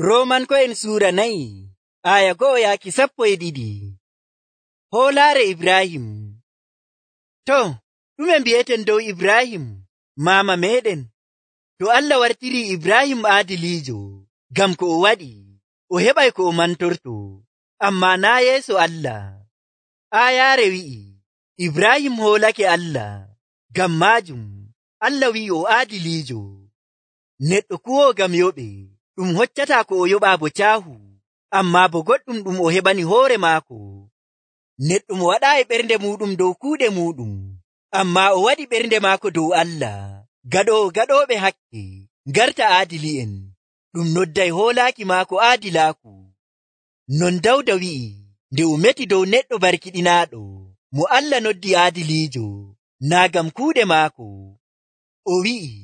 Roomanko'en suura 4 aya 1-12. Hoolaare Ibrahim. To, ɗume mbi'eten dow Ibrahim, maama meɗen? To Allah wartirii Ibrahim aadiliijo ngam ko o waɗi, o heɓay ko o mantorto, ammaa naa yeeso Allah. Aayaare wi'i, Ibrahim hoolake Allah, ngam maajum Allah wi'i o aadiliijo. Neɗɗo kuwoo ngam yoɓe, ɗum hoccataa ko o yoɓaa bo caahu, ammaa bo goɗɗum ɗum o heɓani hoore maako. Neɗɗo mo waɗaayi ɓernde muuɗum dow kuuɗe muuɗum, ammaa o waɗi ɓernde maako dow Allah. Gaɗooɓe hakke, ngarta aadili'en, ɗum nodday hoolaaki maako aadilaaku. Non Dawda wi'i, nde o meti dow neɗɗo barkiɗinaaɗo, mo Allah noddi aadiliijo, naa ngam kuuɗe maako. O wi'i,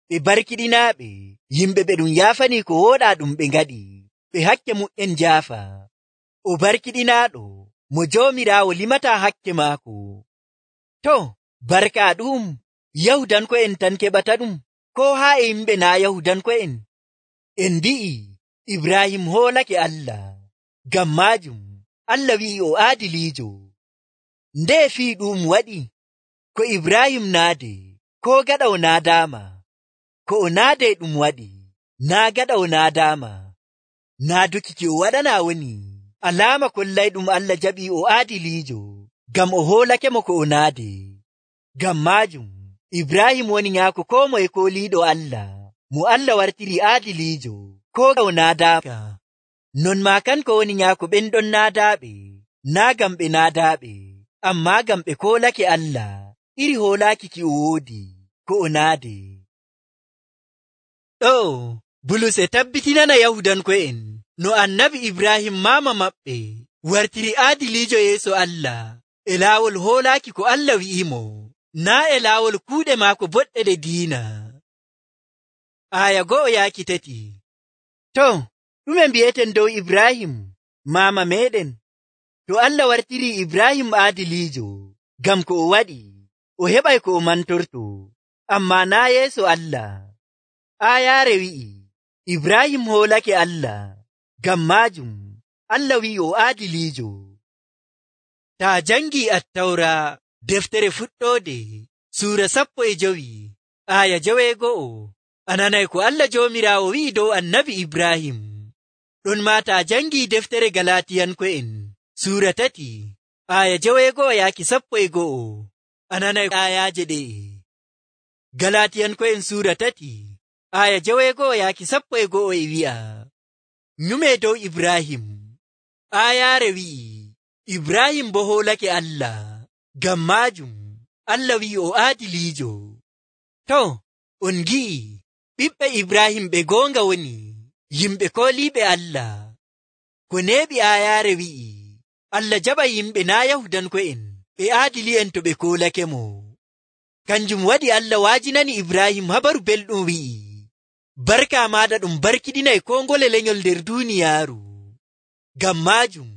ɓe barkiɗinaaɓe, yimɓe ɓe ɗum yaafanii ko wooɗaa ɗum ɓe ngaɗi, ɓe hakke mu'en njaafa. O barkiɗinaaɗo, mo Joomiraawo limataa hakke maako. To, barka ɗum, Yahudanko'en tan keɓata ɗum, koo haa e yimɓe naa Yahudanko'en? En mbi'i, Ibrahim hoolake Allah, ngam maajum Allah wi'i o aadiliijo. Ndee fii ɗum waɗi? Ko Ibrahim naade, koo gaɗa o naadaama? Ko o naadee ɗum waɗi, naa gaɗa o naadaama. Naaduki ki o waɗanaa woni alaama kollayɗum Allah jaɓii o aadiliijo, ngam o hoolake mo ko o naadee. Ngam maajum Ibrahim woni nyaako koo moye kooliiɗo Allah, mo Allah wartiri aadiliijo, koo o naadaaka. Non maa kanko woni nyaako ɓen ɗon naadaaɓe, naa ngam ɓe naadaaɓe, ammaa ngam ɓe koolake Allah, iri hoolaaki ki o woodi, ko o naadee. Ɗo, Bulus e tabbitinana Yahudanko'en no annabi Ibrahim maama maɓɓe wartiri aadiliijo yeeso Allah e laawol hoolaaki ko Allah wi'imo, naa e laawol kuuɗe maako boɗɗe ɗe diina. Aya 1-3. To, ɗume mbi'eten dow Ibrahim, maama meɗen? To Allah wartirii Ibrahim aadiliijo ngam ko o waɗi, o heɓay ko o mantorto, ammaa naa yeeso Allah. Aayaare wi'i, Ibrahim hoolake Allah, ngam maajum Allah wi'i o aadiliijo. Taa jangii Attawra, deftere fuɗɗoode, suura 15, aya 1, a nanay ko Allah Joomiraawo wi'i dow annabi Ibrahim. Ɗon maa taa jangii deftere Galatiyanko'en, suura 3, aya 1-11, a nanay ayaaje ɗe'e. Galatiyanko'en suura 3, aya 1-11 e wi'a, nyume dow Ibrahim. Aayaare wi'i, Ibrahim bo hoolake Allah, ngam maajum Allah wi'i o aadiliijo. To, on ngi'i, ɓiɓɓe Ibrahim ɓe goonga woni yimɓe kooliiɓe Allah. Ko neeɓi aayaare wi'i, Allah jaɓa yimɓe naa Yahudanko'en ɓe aadili'en to ɓe koolake mo. Kanjum waɗi Allah waajinani Ibrahim habaru belɗum wi'i, barka maaɗa ɗum barkiɗinay koo ngole lenyol nder duuniyaaru. Ngam maajum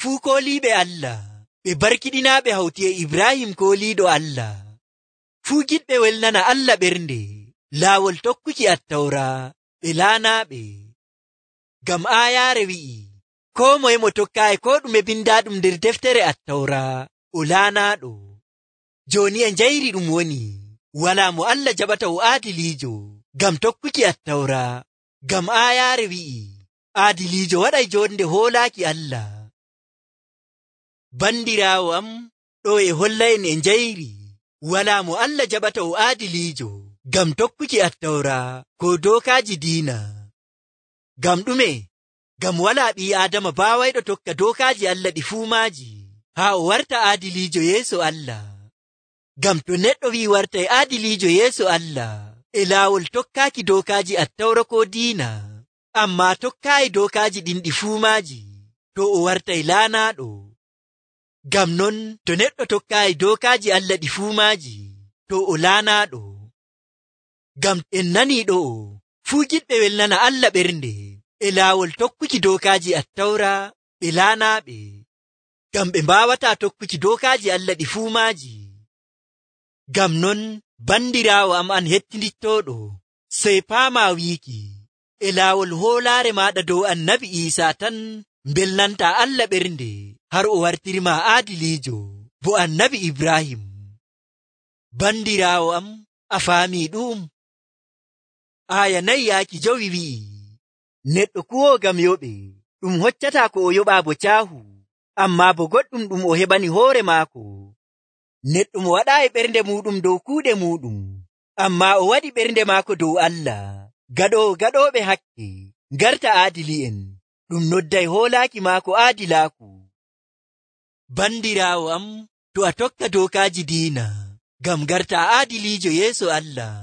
fuu kooliiɓe Allah ɓe barkiɗinaaɓe hawti e Ibrahim kooliiɗo Allah. Fuu giɗɓe welnana Allah ɓernde laawol tokkuki Attawra ɓe laanaaɓe. Ngam aayaare wi'i, koo moye mo tokkaayi koo ɗume bindaaɗum nder deftere Attawra o laanaaɗo. Jooni e njayri ɗum woni, walaa mo Allah jaɓata o aadiliijo ngam tokkuki Attawra. Ngam aayaare wi'i, aadiliijo waɗay jonde hoolaaki Allah. Bandiraawo am, ɗo e holla'en e njayri, walaa mo Allah jaɓata o aadiliijo ngam tokkuki Attawra ko dookaaji diina. Ngam ɗume? Ngam walaa ɓii Aadama baawayɗo tokka dookaaji Allah ɗi fuu maaji, haa o warta aadiliijo yeeso Allah. Ngam to neɗɗo wi'i wartay aadiliijo yeeso Allah e laawol tokkaaki dookaaji Attawra ko diina, ammaa tokkaayi dookaaji ɗin ɗi fuu maaji, to o wartay laanaaɗo. Ngam non to neɗɗo tokkaayi dookaaji Allah ɗi fuu maaji, to o laanaaɗo. Ngam en nanii ɗo, fuu giɗɓe welnana Allah ɓernde e laawol tokkuki dookaaji Attawra ɓe laanaaɓe, ngam ɓe mbaawataa tokkuki dookaaji Allah ɗi fuu maaji. Ngam non, bandiraawo am an hettindittooɗo, sey paamaa wiiki, e laawol hoolaare maaɗa dow annabi Iisaa tan mbelnanta Allah ɓernde har o wartirima aadiliijo bo annabi Ibrahim. Bandiraawo am, a faamii ɗum? Aya 4 wi'i, neɗɗo kuwoo ngam yoɓe ɗum hoccataa ko o yoɓaa bo caahu, ammaa bo goɗɗum ɗum o heɓani hoore maako. Neɗɗo mo waɗaayi ɓernde muuɗum dow kuuɗe muuɗum, ammaa o waɗi ɓernde maako dow Allah. Gaɗooɓe hakke ngarta aadili'en, ɗum nodday hoolaaki maako aadilaaku. Bandiraawo am, to a tokka dookaaji diina ngam ngarta aadiliijo yeeso Allah,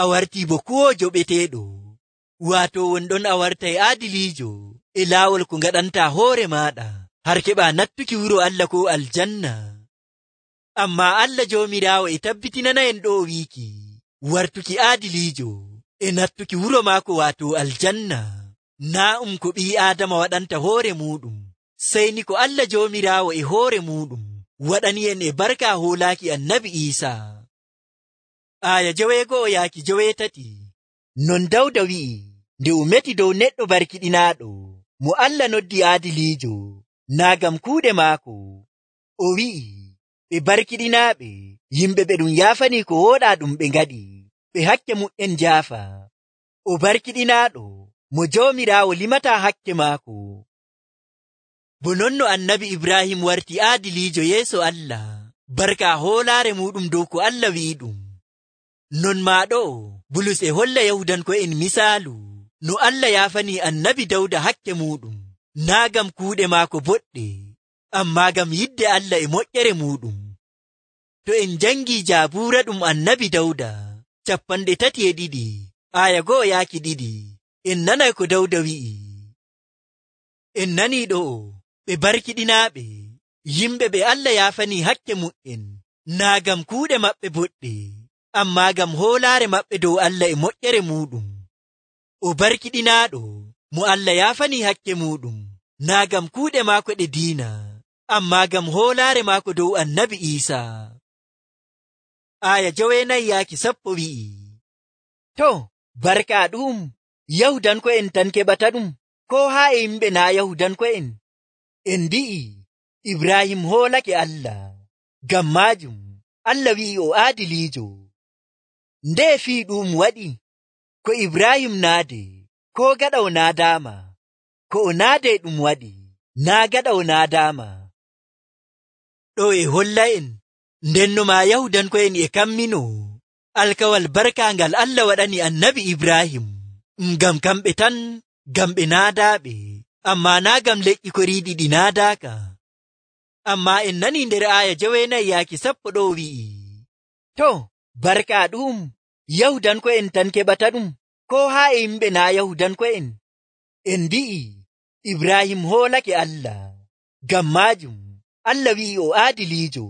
a wartii bo kuwoojo ɓeteeɗo, waato wonɗon a wartay aadiliijo e laawol ko ngaɗantaa hoore maaɗa har keɓaa nattuki wuro Allah ko aljanna. Ammaa Allah Joomiraawo e tabbitinana'en ɗo wiiki wartuki aadiliijo e nattuki wuro maako waato aljanna naa ko ɓii Aadama waɗanta hoore muuɗum, sey ni ko Allah Joomiraawo e hoore muuɗum waɗani'en e barka hoolaaki annabi Iisaa. Aya 9-8. Non Dawda wi'i nde o meti dow neɗɗo barkiɗinaaɗo mo Allah noddi aadiliijo naa ngam kuuɗe maako. O wi'i, ɓe barkiɗinaaɓe yimɓe ɓe ɗum yaafani ko wooɗaa ɗum ɓe ngaɗi, ɓe hakke mu'en jaafa. O barkiɗinaaɗo mo Joomiraawo limataa hakke maako. Bo non no annabi Ibrahim warti aadiliijo yeeso Allah barka hoolaare muɗum dow ko Allah wi'i ɗum. Non maa ɗo Bulus e holla Yahudanko'en misaalu no Allah yaafani annabi Dawda hakke muɗum naa ngam kuuɗe maako boɗɗe, ammaa ngam yidde Allah e moƴƴere muɗum. To en jangii Jaabuura ɗum annabi Dawda 32 aya 1-2, en nanay ko Dawda wi'i. En nanii ɗo ɓe barkiɗinaaɓe yimɓe ɓe Allah yaafani hakke mu'en naa ngam kuuɗe maɓɓe boɗɗe, ammaa ngam hoolaare maɓɓe dow Allah e moƴƴere muɗum. O barkiɗinaaɗo mo Allah yaafani hakke muɗum naa ngam kuuɗe maako ɗe diina, ammaa ngam hoolaare maako dow annabi Iisaa. Aya 9-10 wi'i, to barka ɗum Yahudanko'en tan keɓata ɗum, ko haa e yimɓe naa Yahudanko'en? En mbi'i Ibrahim hoolake Allah, ngam maajum Allah wi'i o aadiliijo. Nde fii ɗum waɗi ko Ibrahim naade, ko gaɗa o naadaama, ko o naade ɗum waɗi naa gaɗa o naadaama. Ɗo e holla'en ndenno maa Yahudanko'en e kammino alkawal barkaangal Allah waɗani annabi Ibrahim ngam kamɓe tan, ngam ɓe naadaaɓe, ammaa naa ngam leƴƴi koriiɗi ɗi naadaaka. Ammaa en nanii nder aya 9-10 ɗo wi'i, to barka ɗum Yahudanko'en tan keɓata ɗum, ko haa e yimɓe naa Yahudanko'en? En mbi'i Ibrahim hoolake Allah, ngam maajum Allah wi'i o aadiliijo.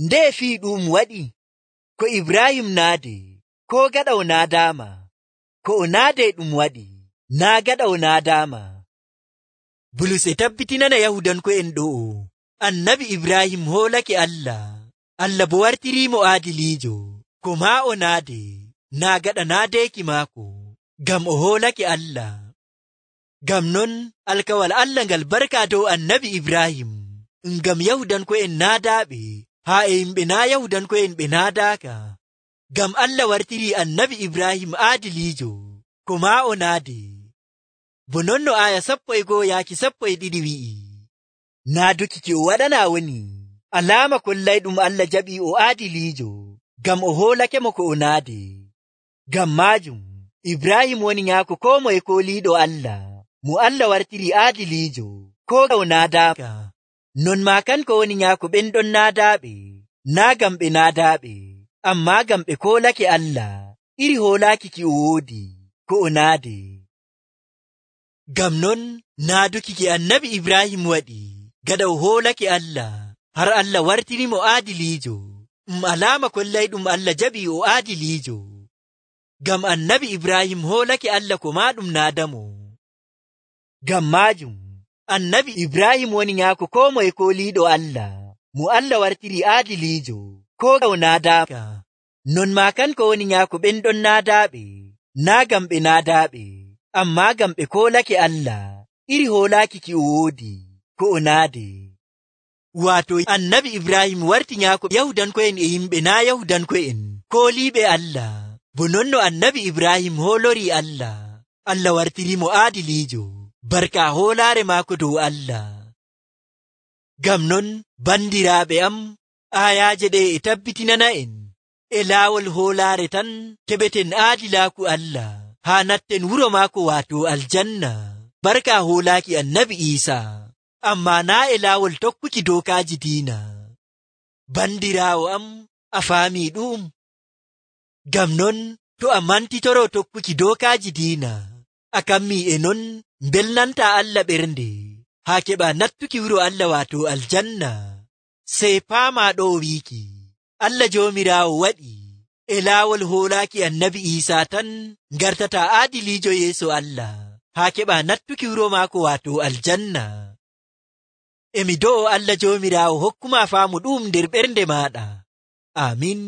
Nde fii ɗum waɗi ko Ibrahim naade, ko gaɗa o naadaama, ko o naade ɗum waɗi naa gaɗa o naadaama. Bulus e tabbitinana Yahudanko'en ɗo annabi Ibrahim hoolake Allah, Allah bo wartiriimo aadiliijo, ko maa o naade naa gaɗa naadeeki maako, ngam o hoolake Allah. Ngam non alkawal Allah ngal barka dow annabi Ibrahim ngam Yahudanko'en naadaaɓe haa e yimɓe naa Yahudanko'en ɓe naadaaka, ngam Allah wartiri annabi Ibrahim aadiliijo, ko maa o naade. Bo non no aya 11-12 wi'i, naaduki ki o waɗanaa woni alaama kollay ɗum Allah jaɓi o aadiliijo, ngam o hoolake mo ko o naade. Ngam maajum Ibrahim woni nyaako koo moye kooliiɗo Allah, mo Allah wartiri aadiliijo, ko o naadaaka. Non maa kanko woni nyaako ɓen ɗon naadaaɓe, naa ngam ɓe naadaaɓe, ammaa ngam ɓe koolake Allah iri hoolaaki ki o woodi, ko o naade. Ngam non naaduki ki annabi Ibrahim waɗi gaɗa o hoolake Allah har Allah wartiri mo aadiliijo, alaama kollay ɗum Allah jaɓi o aadiliijo. Ngam annabi Ibrahim hoolake Allah ko maa ɗum naadamo. Ngam maajum annabi Ibrahim woni nyaako koo moye kooliiɗo Allah, mo Allah wartiri aadiliijo, ko o naadaaka. Non maa kanko woni nyaako ɓen ɗon naadaaɓe, naa ngam ɓe naadaaɓe, ammaa ngam ɓe koolake Allah iri hoolaaki ki o woodi ko o naade. Waato annabi Ibrahim warti nyaako Yahudanko'en e yimɓe naa Yahudanko'en kooliiɓe Allah, bo non no annabi Ibrahim hoolorii Allah, Allah wartirimo aadiliijo barka hoolaare maako dow Allah. Ngam non bandiraaɓe am, aayaaje ɗe e tabbitinana'en e laawol hoolaare tan keɓeten aadilaaku Allah haa natten wuro maako waato aljanna barka hoolaaki annabi Iisaa, ammaa naa e laawol tokkuki dookaaji diina. Bandiraawo am, a faamii ɗum? Ngam non to a mantitoroo tokkuki dookaaji diina, a kammii e non mbelnantaa Allah ɓernde haa keɓa nattuki wuro Allah waato aljanna. Sey paamaa ɗo wiiki Allah Joomiraawo waɗi e laawol hoolaaki annabi Iisaa tan ngartataa aadiliijo yeeso Allah haa keɓa nattuki wuro maako waato aljanna. Emi do'o Allah Joomiraawo hokkuma faamu ɗum nder ɓernde maaɗa. Aamin.